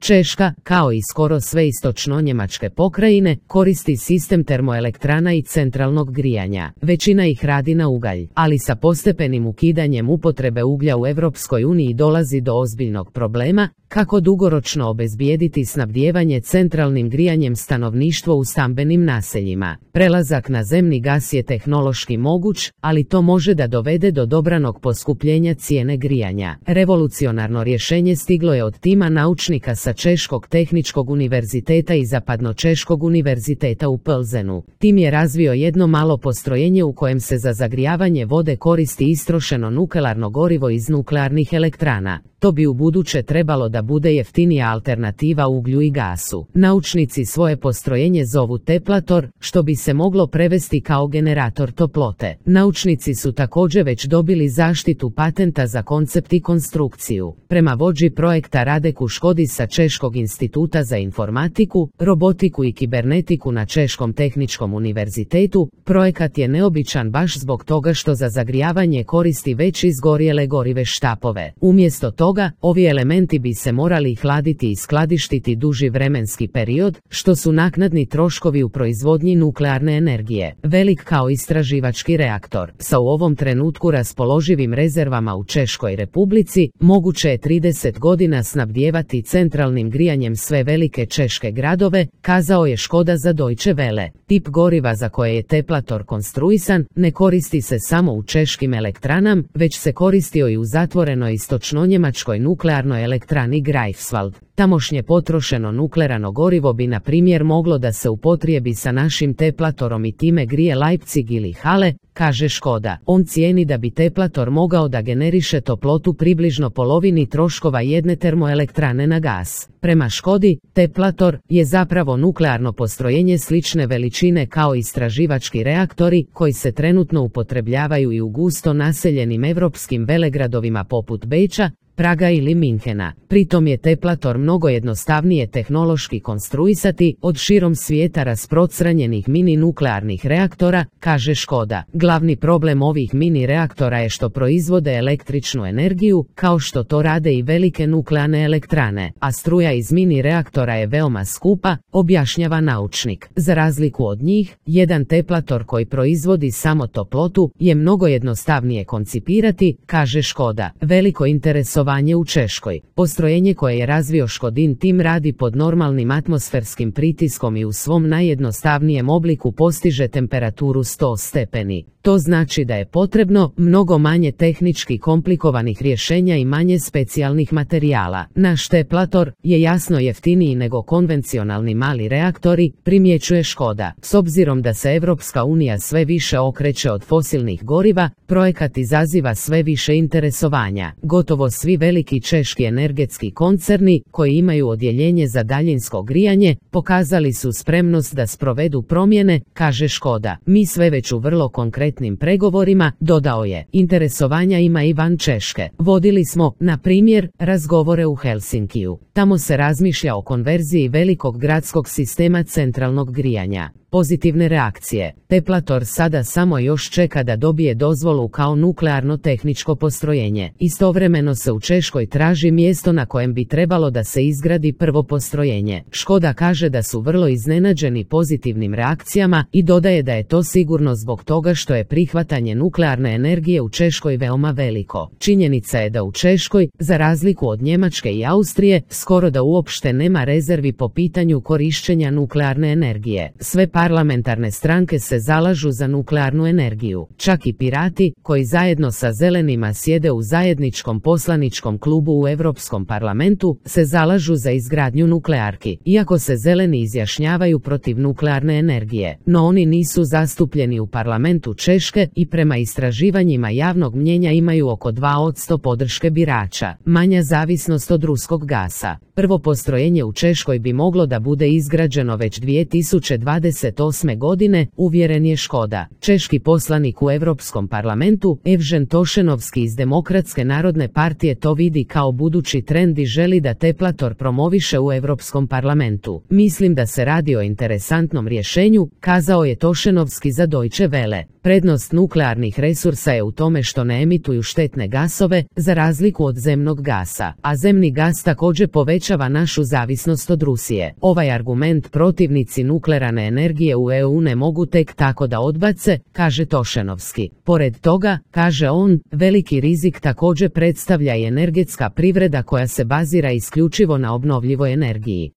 Češka, kao i skoro sve istočno-njemačke pokrajine, koristi sistem termoelektrana i centralnog grijanja. Većina ih radi na ugalj, ali sa postepenim ukidanjem upotrebe uglja u Europskoj uniji dolazi do ozbiljnog problema kako dugoročno obezbijediti snabdijevanje centralnim grijanjem stanovništva u stambenim naseljima. Prelazak na zemni gas je tehnološki moguć, ali to može da dovede do dobranog poskupljenja cijene grijanja. Revolucionarno rješenje stiglo je od tima naučnika sa Češkog tehničkog univerziteta i Zapadno-češkog univerziteta u Plzenu. Tim je razvio jedno malo postrojenje u kojem se za zagrijavanje vode koristi istrošeno nuklearno gorivo iz nuklearnih elektrana. To bi ubuduće trebalo da bude jeftinija alternativa uglju i gasu. Naučnici svoje postrojenje zovu teplator, što bi se moglo prevesti kao generator toplote. Naučnici su također već dobili zaštitu patenta za koncept i konstrukciju. Prema vođi projekta Radeku Škodi sa Češkog instituta za informatiku, robotiku i kibernetiku na Češkom tehničkom univerzitetu, projekat je neobičan baš zbog toga što za zagrijavanje koristi već izgorjele gorive štapove. Umjesto toga, ovi elementi bi se morali hladiti i skladištiti duži vremenski period, što su naknadni troškovi u proizvodnji nuklearne energije. Velik kao istraživački reaktor. Sa u ovom trenutku raspoloživim rezervama u Češkoj Republici, moguće je 30 godina snabdijevati centralnim grijanjem sve velike češke gradove, kazao je Škoda za Deutsche Welle. Tip goriva za koje je teplator konstruisan ne koristi se samo u češkim elektranama, već se koristio i u zatvorenoj istočno-njemačkoj nuklearnoj elektrani Greifswald. Tamošnje potrošeno nuklearno gorivo bi na primjer moglo da se upotrijebi sa našim teplatorom i time grije Leipzig ili Halle, kaže Škoda. On cijeni da bi teplator mogao da generiše toplotu približno polovini troškova jedne termoelektrane na gas. Prema Škodi, teplator je zapravo nuklearno postrojenje slične veličine kao istraživački reaktori koji se trenutno upotrebljavaju i u gusto naseljenim europskim velegradovima poput Beča, Praga ili Minhena. Pritom je teplator mnogo jednostavnije tehnološki konstruisati od širom svijeta rasprostranjenih mini nuklearnih reaktora, kaže Škoda. Glavni problem ovih mini reaktora je što proizvode električnu energiju, kao što to rade i velike nuklearne elektrane, a struja iz mini reaktora je veoma skupa, objašnjava naučnik. Za razliku od njih, jedan teplator koji proizvodi samo toplotu je mnogo jednostavnije koncipirati, kaže Škoda. Veliko interesovanje u Češkoj. Postrojenje koje je razvio Škodin tim radi pod normalnim atmosferskim pritiskom i u svom najjednostavnijem obliku postiže temperaturu 100 stepeni. To znači da je potrebno mnogo manje tehnički komplikovanih rješenja i manje specijalnih materijala. Naš teplator je jasno jeftiniji nego konvencionalni mali reaktori, primjećuje Škoda. S obzirom da se Europska unija sve više okreće od fosilnih goriva, projekat izaziva sve više interesovanja. Gotovo svi veliki češki energetski koncerni, koji imaju odjeljenje za daljinsko grijanje, pokazali su spremnost da sprovedu promjene, kaže Škoda. Mi sve već u vrlo konkretnim pregovorima, dodao je. Interesovanja ima i van Češke. Vodili smo, na primjer, razgovore u Helsinkiju. Tamo se razmišlja o konverziji velikog gradskog sistema centralnog grijanja. Pozitivne reakcije. Teplator sada samo još čeka da dobije dozvolu kao nuklearno tehničko postrojenje. Istovremeno se u Češkoj traži mjesto na kojem bi trebalo da se izgradi prvo postrojenje. Škoda kaže da su vrlo iznenađeni pozitivnim reakcijama i dodaje da je to sigurno zbog toga što je prihvatanje nuklearne energije u Češkoj veoma veliko. Činjenica je da u Češkoj, za razliku od Njemačke i Austrije, skoro da uopšte nema rezervi po pitanju korištenja nuklearne energije. Sve parlamentarne stranke se zalažu za nuklearnu energiju. Čak i pirati, koji zajedno sa zelenima sjede u zajedničkom poslaničkom klubu u Europskom parlamentu, se zalažu za izgradnju nuklearki, iako se zeleni izjašnjavaju protiv nuklearne energije. No oni nisu zastupljeni u parlamentu Češke i prema istraživanjima javnog mnjenja imaju oko 2% podrške birača. Manja zavisnost od ruskog gasa. Prvo postrojenje u Češkoj bi moglo da bude izgrađeno već 2028. godine, uvjeren je Škoda. Češki poslanik u Europskom parlamentu, Evžen Tošenovski iz Demokratske narodne partije to vidi kao budući trend i želi da teplator promoviše u Europskom parlamentu. Mislim da se radi o interesantnom rješenju, kazao je Tošenovski za Deutsche Welle. Prednost nuklearnih resursa je u tome što ne emituju štetne gasove, za razliku od zemnog gasa, a zemni gas također povećava našu zavisnost od Rusije. Ovaj argument protivnici nuklearne energije u EU ne mogu tek tako da odbace, kaže Tošenovski. Pored toga, kaže on, veliki rizik također predstavlja i energetska privreda koja se bazira isključivo na obnovljivoj energiji.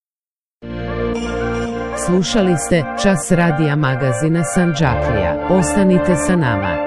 Slušali ste Čas radija magazina Sandžaklija. Ostanite sa nama.